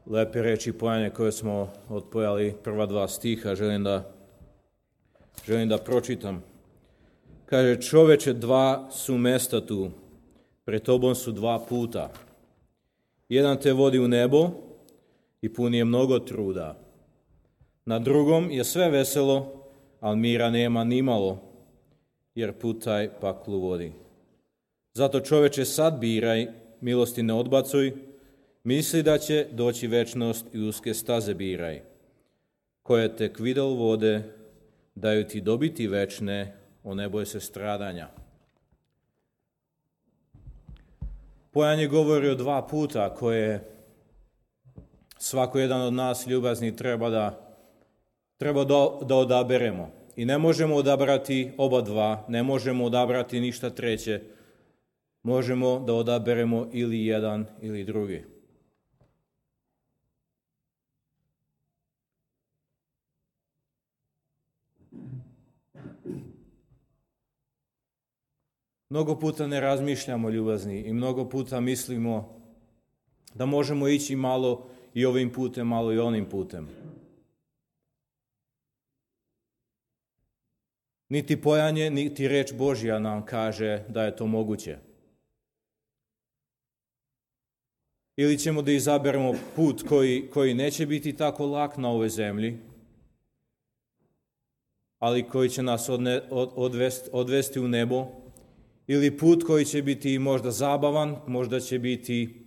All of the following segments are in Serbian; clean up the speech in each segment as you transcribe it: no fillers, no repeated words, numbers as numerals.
lepe reči pojanje koje smo odpojali, prva dva stiha, želim da pročitam. Kaže, čoveče, dva su mesta tu, pred tobom su dva puta. Jedan te vodi u nebo i pun je mnogo truda. Na drugom je sve veselo, ali mira nema nimalo, jer put taj paklu vodi. Zato čoveče, sad biraj, milosti ne odbacuj, misli da će doći večnost i uske staze biraj, koje tek videl vode, daju ti dobiti večne, ne boj se stradanja. Pojanje govori o dva puta koje svako jedan od nas ljubazni treba da odaberemo. I ne možemo odabrati oba dva, ne možemo odabrati ništa treće. Možemo da odaberemo ili jedan ili drugi. Mnogo puta ne razmišljamo ljubazni i mnogo puta mislimo da možemo ići malo i ovim putem, malo i onim putem. Niti pojanje, niti reč Božja nam kaže da je to moguće. Ili ćemo da izaberemo put koji neće biti tako lak na ovoj zemlji, ali koji će nas odvesti u nebo, ili put koji će biti možda zabavan, možda će biti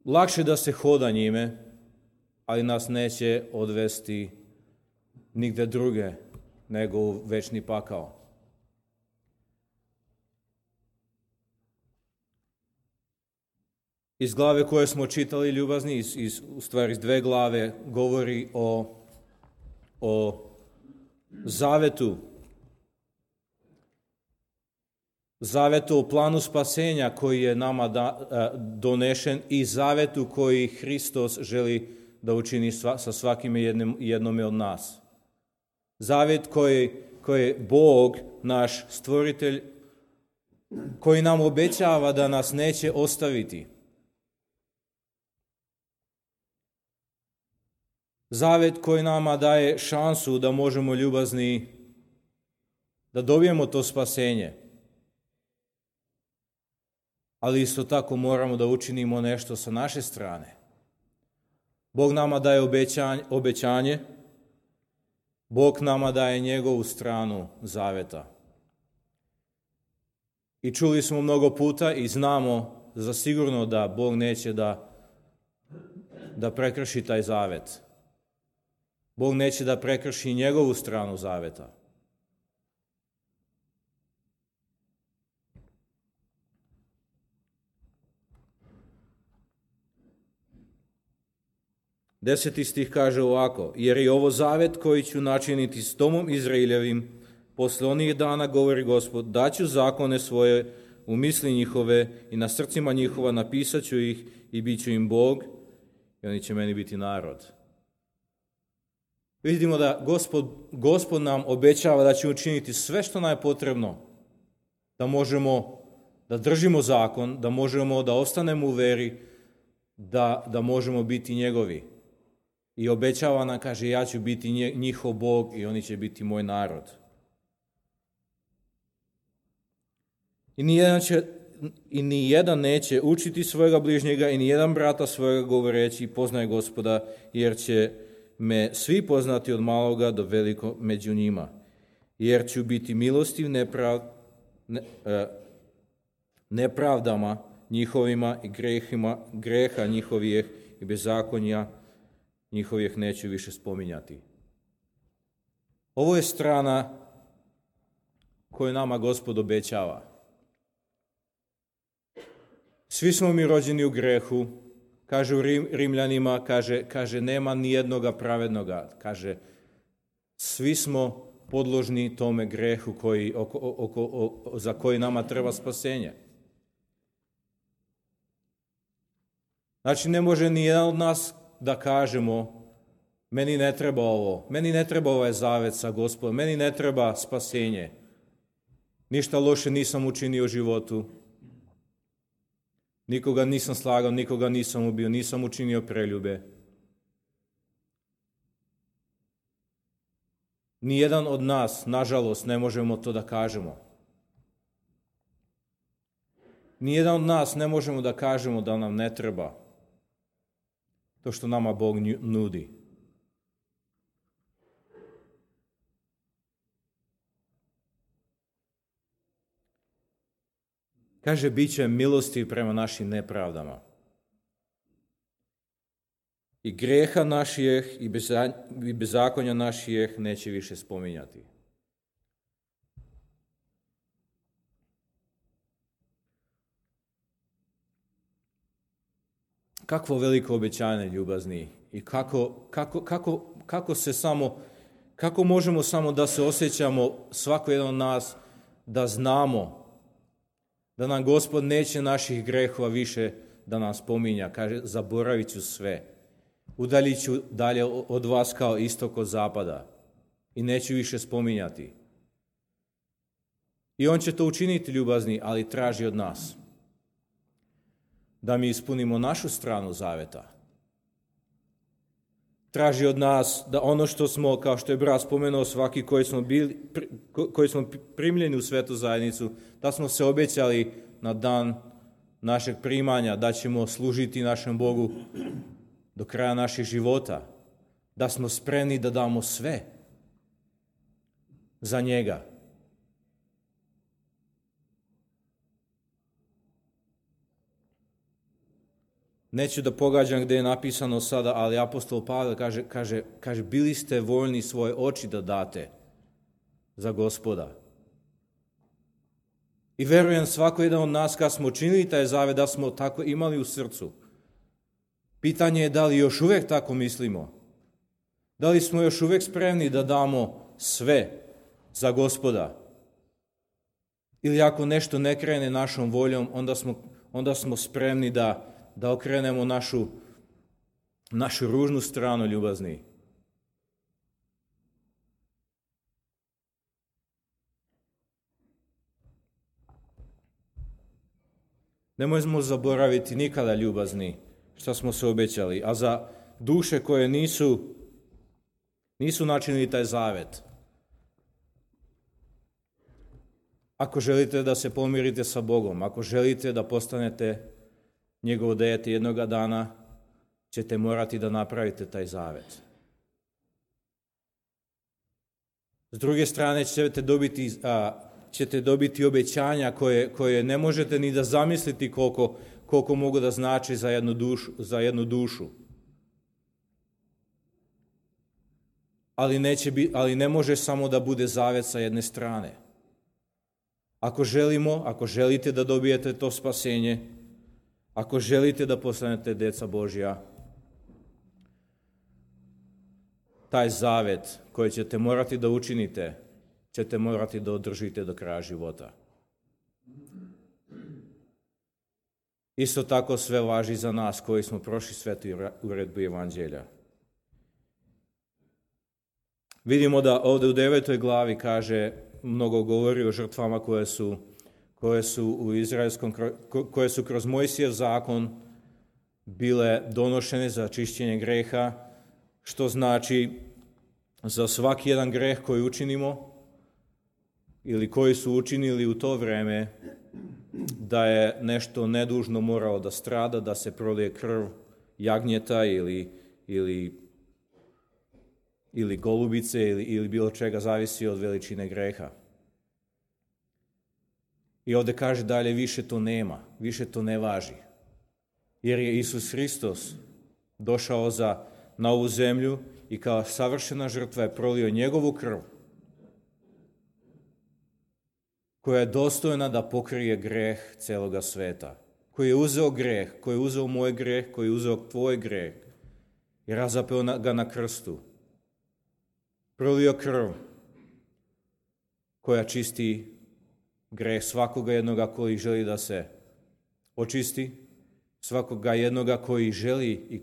lakše da se hoda njime, ali nas neće odvesti nigde druge nego u večni pakao. Iz glave koje smo čitali, ljubazni, u stvari iz dve glave, govori o zavetu. Zavetu o planu spasenja koji je nama donešen i zavetu koji Hristos želi da učini sa svakim jednome od nas. Zavet koji Bog, naš stvoritelj, koji nam obećava da nas neće ostaviti. Zavet koji nama daje šansu da možemo ljubazni, da dobijemo to spasenje. Ali isto tako moramo da učinimo nešto sa naše strane. Bog nama daje obećanje, Bog nama daje njegovu stranu zaveta. I čuli smo mnogo puta i znamo za sigurno da Bog neće da prekrši taj zavet. Bog neće da prekrši njegovu stranu zaveta. Deseti stih kaže ovako, jer je ovo zavet koji ću načiniti s domom Izraeljevim, posle onih dana, govori Gospod, daću zakone svoje u misli njihove i na srcima njihova napisat ću ih i bit ću im Bog i oni će meni biti narod. Vidimo da Gospod nam obećava da će učiniti sve što nam je potrebno, da možemo da držimo zakon, da možemo da ostanemo u veri, da možemo biti njegovi. I obećava nam, kaže, ja ću biti njihov Bog i oni će biti moj narod. I ni jedan neće učiti svojega bližnjega i ni jedan brata svojega govoreći poznaj Gospoda, jer će me svi poznati od maloga do veliko među njima. Jer ću biti milostiv nepravdama njihovima i greha njihovih i bezakonja njihovih neću više spominjati. Ovo je strana koju nama Gospod obećava. Svi smo mi rođeni u grehu, kaže u Rimljanima, kaže nema ni jednoga pravednoga, kaže svi smo podložni tome grehu za koji nama treba spasenje. Znači ne može ni jedan od nas da kažemo meni ne treba ovo, meni ne treba ovaj zavet sa Gospodom, meni ne treba spasenje. Ništa loše nisam učinio u životu. Nikoga nisam slagao, nikoga nisam ubio, nisam učinio preljube. Nijedan od nas, nažalost, ne možemo to da kažemo. Nijedan od nas ne možemo da kažemo da nam ne treba to što nama Bog nudi. Kaže, bit će milosti prema našim nepravdama. I greha naših i bezakonja naših neće više spominjati. Kakvo veliko obećanje, ljubazni. I kako možemo samo da se osjećamo, svako jedan od nas, da znamo da nam Gospod neće naših grehova više da nam spominja. Kaže, zaboravit ću sve. Udaljit ću dalje od vas kao istok od zapada. I neću više spominjati. I on će to učiniti, ljubazni, ali traži od nas da mi ispunimo našu stranu zaveta. Traži od nas da ono što smo, kao što je brat spomenuo, svaki koji smo primljeni u svetu zajednicu, da smo se obećali na dan našeg primanja, da ćemo služiti našem Bogu do kraja naših života, da smo spremni da damo sve za njega. Neću da pogađam gdje je napisano sada, ali apostol Pavel kaže, bili ste voljni svoje oči da date za Gospoda. I verujem svako jedan od nas kad smo činili taj zavet da smo tako imali u srcu. Pitanje je da li još uvijek tako mislimo. Da li smo još uvijek spremni da damo sve za Gospoda. Ili ako nešto ne krene našom voljom, onda smo spremni da okrenemo našu ružnu stranu, ljubazni. Nemojmo zaboraviti nikada, ljubazni, što smo se obećali. A za duše koje nisu načinili taj zavet, ako želite da se pomirite sa Bogom, ako želite da postanete njegovo dijete jednoga dana, ćete morati da napravite taj zavet. S druge strane ćete dobiti obećanja koje ne možete ni da zamisliti koliko mogu da znači za jednu dušu. Ali ne može samo da bude zavet sa jedne strane. Ako želite da dobijete to spasenje, ako želite da postanete djeca Božja, taj zavet koji ćete morati da učinite, ćete morati da održite do kraja života. Isto tako sve važi za nas koji smo prošli svetu uredbu Evanđelja. Vidimo da ovdje u 9. glavi kaže, mnogo govori o žrtvama koje su u izraelskom, koje su kroz Mojsijev zakon bile donošene za čišćenje greha, što znači za svaki jedan greh koji učinimo ili koji su učinili u to vrijeme, da je nešto nedužno moralo da strada, da se prolije krv jagnjeta ili golubice ili bilo čega, zavisi od veličine greha. I ovdje kaže dalje, više to nema, više to ne važi. Jer je Isus Hristos došao na ovu zemlju i kao savršena žrtva je prolio njegovu krv, koja je dostojna da pokrije greh celoga sveta. Koji je uzeo greh, koji je uzeo moj greh, koji je uzeo tvoj greh i razapeo ga na krstu. Prolio krv koja čisti greh svakoga jednoga koji želi da se očisti, svakoga jednoga koji želi i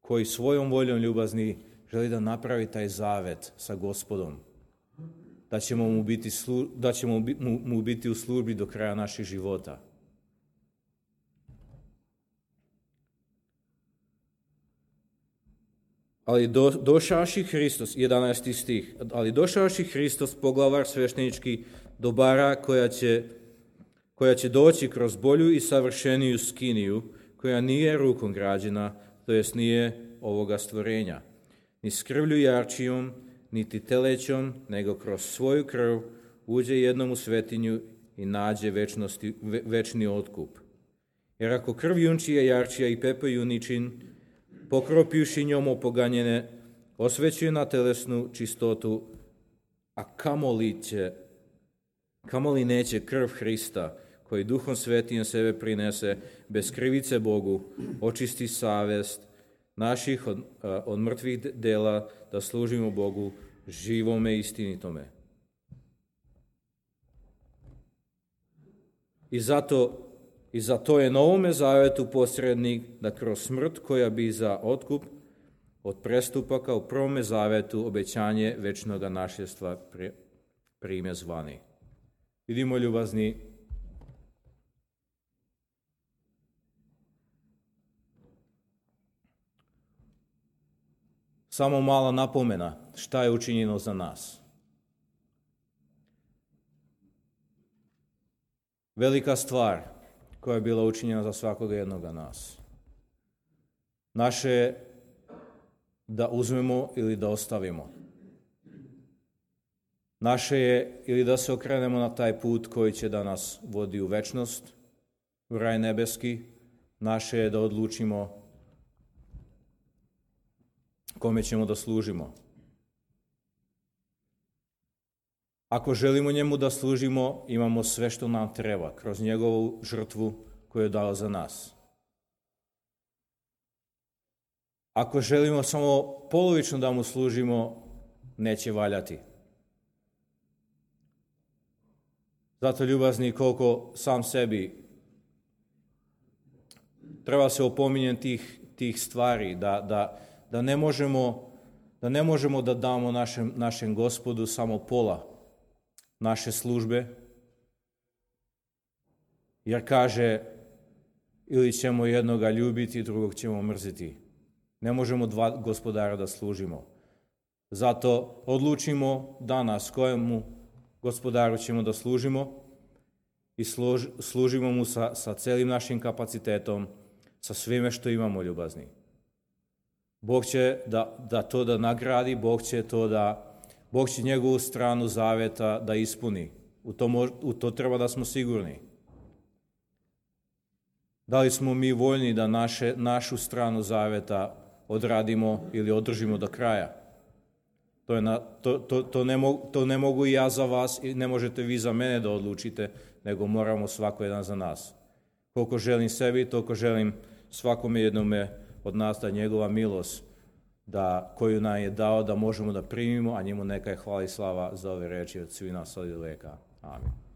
koji svojom voljom, ljubazni, želi da napravi taj zavet sa Gospodom. da ćemo mu biti u službi do kraja naših života. Ali došavši Hristos, 11. stih, ali došavši Hristos, poglavar sveštenički dobara koja će doći kroz bolju i savršeniju skiniju, koja nije rukom građena, to jest nije ovoga stvorenja, ni s krvlju jarčijom, niti telećom, nego kroz svoju krv uđe jednom u svetinju i nađe večni otkup. Jer ako krv junčija, jarčija i pepe juničin, pokropivši njom opoganjene, osvećuje na telesnu čistotu, a kamoli neće krv Hrista, koji Duhom Svetim sebe prinese, bez krivice Bogu, očisti savest naših od mrtvih dela, da služimo Bogu živome i istinitome. I zato je novome zavetu posrednik da kroz smrt koja bi za otkup od prestupaka u prvome zavetu obećanje večnoga našljedstva prime zvani. Vidimo, ljubazni, samo mala napomena šta je učinjeno za nas. Velika stvar koja je bila učinjena za svakoga jednoga nas. Naše je da uzmemo ili da ostavimo. Naše je ili da se okrenemo na taj put koji će da nas vodi u večnost, u raj nebeski. Naše je da odlučimo kome ćemo da služimo. Ako želimo njemu da služimo, imamo sve što nam treba kroz njegovu žrtvu koju je dao za nas. Ako želimo samo polovično da mu služimo, neće valjati. Zato, ljubazni, koliko sam sebi treba se opominjati tih stvari, da ne možemo da damo našem Gospodu samo pola naše službe, jer kaže, ili ćemo jednoga ljubiti, drugog ćemo mrziti. Ne možemo dva gospodara da služimo. Zato odlučimo danas kojemu gospodaru ćemo da služimo i služimo mu sa celim našim kapacitetom, sa svime što imamo, ljubazni. Bog će da nagradi, Bog će njegovu stranu zaveta da ispuni. U to treba da smo sigurni. Da li smo mi voljni da našu stranu zaveta odradimo ili održimo do kraja? To ne mogu i ja za vas i ne možete vi za mene da odlučite, nego moramo svako jedan za nas. Koliko želim sebi, toliko želim svakome jednome od nas da njegova milost koju nam je dao da možemo da primimo, a njemu neka je hvala i slava za ove reči od svih nas od veka. Amin.